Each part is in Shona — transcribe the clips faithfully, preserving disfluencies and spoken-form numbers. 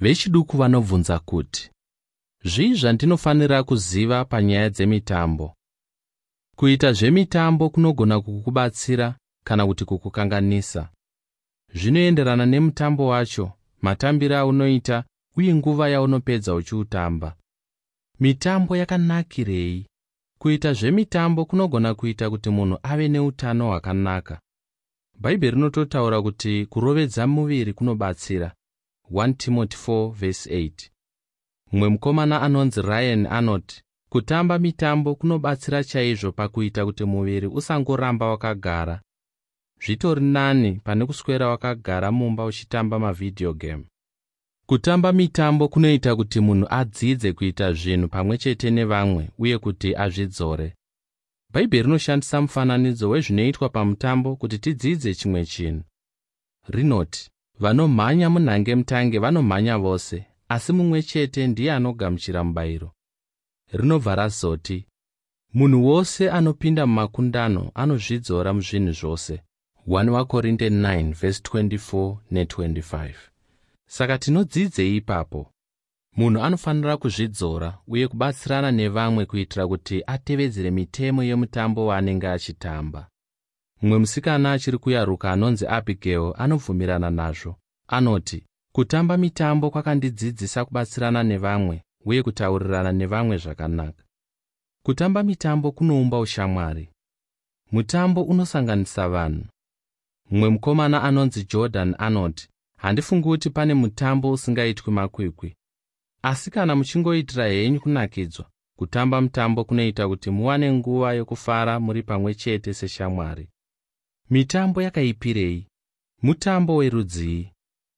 Vechiduku vanobvunza kuti, zvii zvandinofanira kuziva panyaya dzemitambo? Kuita zvemitambo kunogona kukubatsira kana kuti kukukanganisa. Zvinoenderana nemutambo wacho, matambiro aunoita uye nguva yaunopedza uchiutamba. Mitambo yakanakirei? Kuita zvemitambo kunogona kuita kuti munhu ave neutano hwakanaka. Bhaibheri rinototaura kuti kurovedza muviri kunobatsira. one Timothy four verse eight. Mumwe mukomana anonzi Ryan anoti, kutamba mitambo kunobatsira chaizvo pakuita kuti muviri usangoramba wakagara. Zvitori nani pane kuswera wakagara mumba uchitamba mavideo game. Kutamba mitambo kunoita kuti munhu adzidze kuita zvinhu pamwe chete nevamwe uye kuti azvidzore. Bhaibheri rinoshandisa mufananidzo wezvinoitwa pamutambo kuti tidzidze chimwe chinhu. Rinoti, vanomhanya munhange mutange vanomhanya vose, asi mumwe chete ndiye anogamuchira mubayiro. Rinobva razoti, munhu wose anopinda mumakundano anozvidzora muzvinhu zvose. one vaKorinte nine verse twenty-four ne twenty-five. Saka tinodzidzei ipapo? Munhu anofanira kuzvidzora uye kubatsirana nevamwe kuitira kuti atevedzere mitemo yemutambo waanenge achitamba. Mumwe musikana achiri kuyaruka anonzi Abigail anobvumirana nazvo. Anoti, kutamba mitambo kwakandidzidzisa kubatsirana nevamwe uye kutaurirana nevamwe zvakanaka. Kutamba mitambo kunoumba ushamwari. Mutambo unosanganisa vanhu. Mumwe mukomana anonzi Jordan anoti, handifungi kuti pane mutambo usingaitwi makwikwi. Asi kana muchingoitira henyu kunakidzwa, kutamba mutambo kunoita kuti muwane nguva yokufara muri pamwe chete seshamwari. Mitambo yakaipirei? Mutambo werudzii?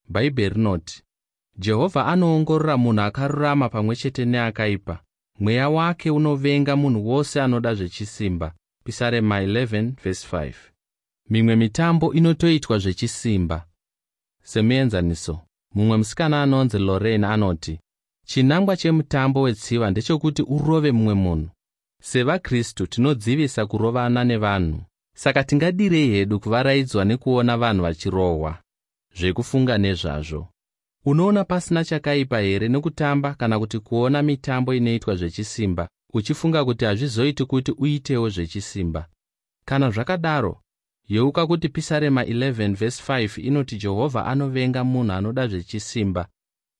Bhaibheri rinoti, Jehovha anoongorora munhu akarurama pamwe chete neakaipa. Mweya wake unovenga munhu wose anoda zvechisimba. Pisarema eleven verse five. Mimwe mitambo inotoitwa zvechisimba. Semuenzaniso, mumwe musikana anonzi Lorraine anoti, chinangwa chemutambo wetsiva ndechekuti urove mumwe munhu. SevaKristu tinodzivisa kurovana nevanhu. Saka tingadirei hedu kuvaraidzwa nekuona vanhu vachirohwa? Zvekufunga nezvazvo. Unoona pasina chakaipa here nekutamba kana kuti kuona mitambo inoitwa zvechisimba, uchifunga kuti hazvizoiti kuti uitewo zvechisimba? Kana zvakadaro, yeuka kuti Pisarema eleven verse five inoti Jehovha anovenga munhu anoda zvechisimba,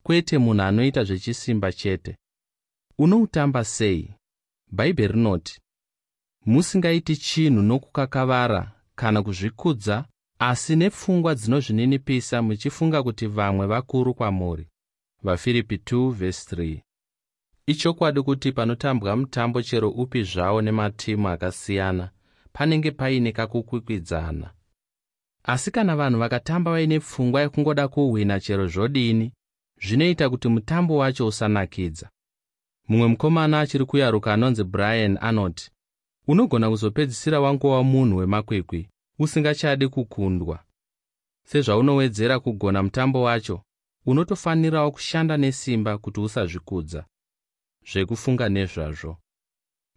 kwete munhu anoita zvechisimba chete. Unoutamba sei? Bhaibheri rinoti, musingaiti chinhu nokukakavara kana kuzvikudza, asi nepfungwa dzinozvininipisa muchifunga kuti vamwe vakuru kwamuri. VaFiripi two verse three. Ichokwadi kuti panotambwa mutambo chero upi zvawo nematimu akasiyana, panenge paine kakukwikwidzana. Asi kana vanhu vakatamba vaine pfungwa yekungoda kuhwina chero zvodini, zvinoita kuti mutambo wacho usanakidza. Mumwe mukomana achiri kuyaruka anonzi Brian anoti, unogona kuzopedzisira wangova munhu wemakwikwi, usingachadi kukundwa. Sezvaunowedzera kugona mutambo wacho, unotofanirawo kushanda nesimba kuti usazvikudza. Zvekufunga nezvazvo.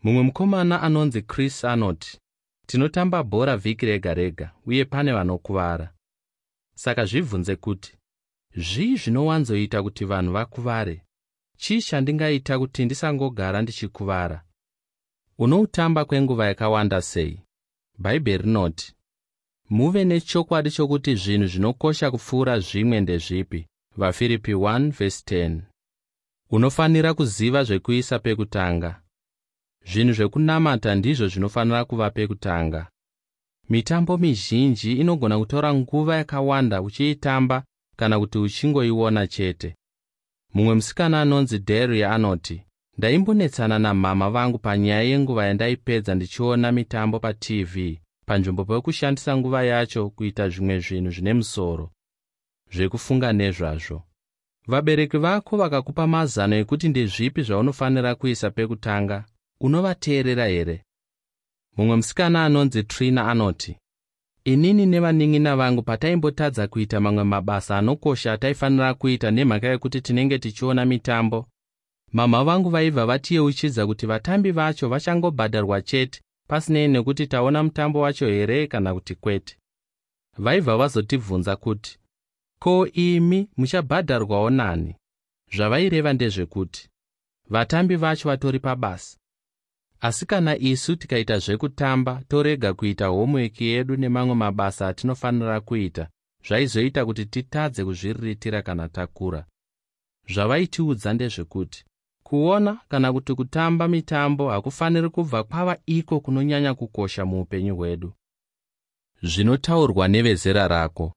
Mumwe mukomana anonzi Chris anoti, tinotamba bhora vhiki rega rega uye pane vanokuvara. Saka zvibvunze kuti, zvii zvinowanzoita kuti vanhu vakuvare? Chii chandingaita kuti ndisangogara ndichikuvara? Unoutamba kwenguva yakawanda sei? Bhaibheri rinoti, muve nechokwadi chokuti zvinhu zvinokosha kupfuura zvimwe ndezvipi. VaFiripi one verse ten. Unofanira kuziva zvekuisa pekutanga. Zvinhu zvekunamata ndizvo zvinofanira kuva pekutanga. Mitambo mizhinji inogona kutora nguva yakawanda uchiitamba kana kuti uchingoiona chete. Mumwe musikana anonzi Daria anoti, ndaimbonetsana namama vangu panyaya yenguva yandaipedza ndichiona mitambo pa-T V panzvimbo pekushandisa nguva yacho kuita zvimwe zvinhu zvine musoro. Zvekufunga nezvazvo. Vabereki vako vakakupa mazano ekuti ndezvipi zvaunofanira kuisa pekutanga, unovateerera here? Mumwe musikana anonzi Trina anoti, inini nevanin'ina vangu pataimbotadza kuita mamwe mabasa anokosha ataifanira kuita nemhaka yekuti tinenge tichiona mitambo, mama vangu vaibva vatiyeuchidza kuti vatambi vacho vachangobhadharwa chete pasinei nekuti taona mutambo wacho here kana kuti kwete. Vaibva vazotibvunza kuti, ko imi muchabhadharwawo nani? Zvavaireva ndezvekuti vatambi vacho vatori pabasa, asi kana isu tikaita zvekutamba torega kuita homework yedu nemamwe mabasa atinofanira kuita, zvaizoita kuti titadze kuzviriritira kana takura. Zvavaitiudza ndezvekuti kuona kana kuti kutamba mitambo hakufaniri kubva kwava iko kunonyanya kukosha muupenyu hwedu. Zvinotaurwa nevezera rako.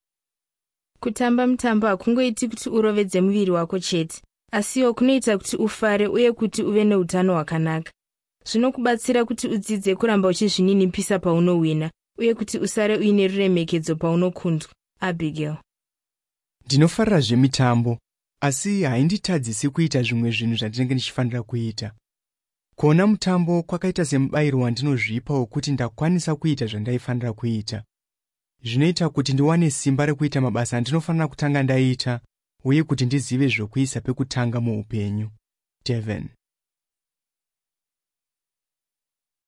Kutamba mutambo hakungoiti kuti urovedze muviri wako chete, asiwo kunoita kuti ufare uye kuti uve neutano hwakanaka. Zvinokubatsira kuti udzidze kuramba uchizvininipisa paunowina uye kuti usare uine ruremekedzo paunokundwa. Abigail. Ndinofarira zvemitambo, asi hainditadzisi kuita zvimwe zvinhu zvandinenge ndichifanira kuita. Kuona mutambo kwakaita semubayiro wandinozvipa wokuti ndakwanisa kuita zvandaifanira kuita. Zvinoita kuti ndiwane simba rekuita mabasa andinofanira kutanga ndaita uye kuti ndizive zvokuisa pekutanga muupenyu. Devin.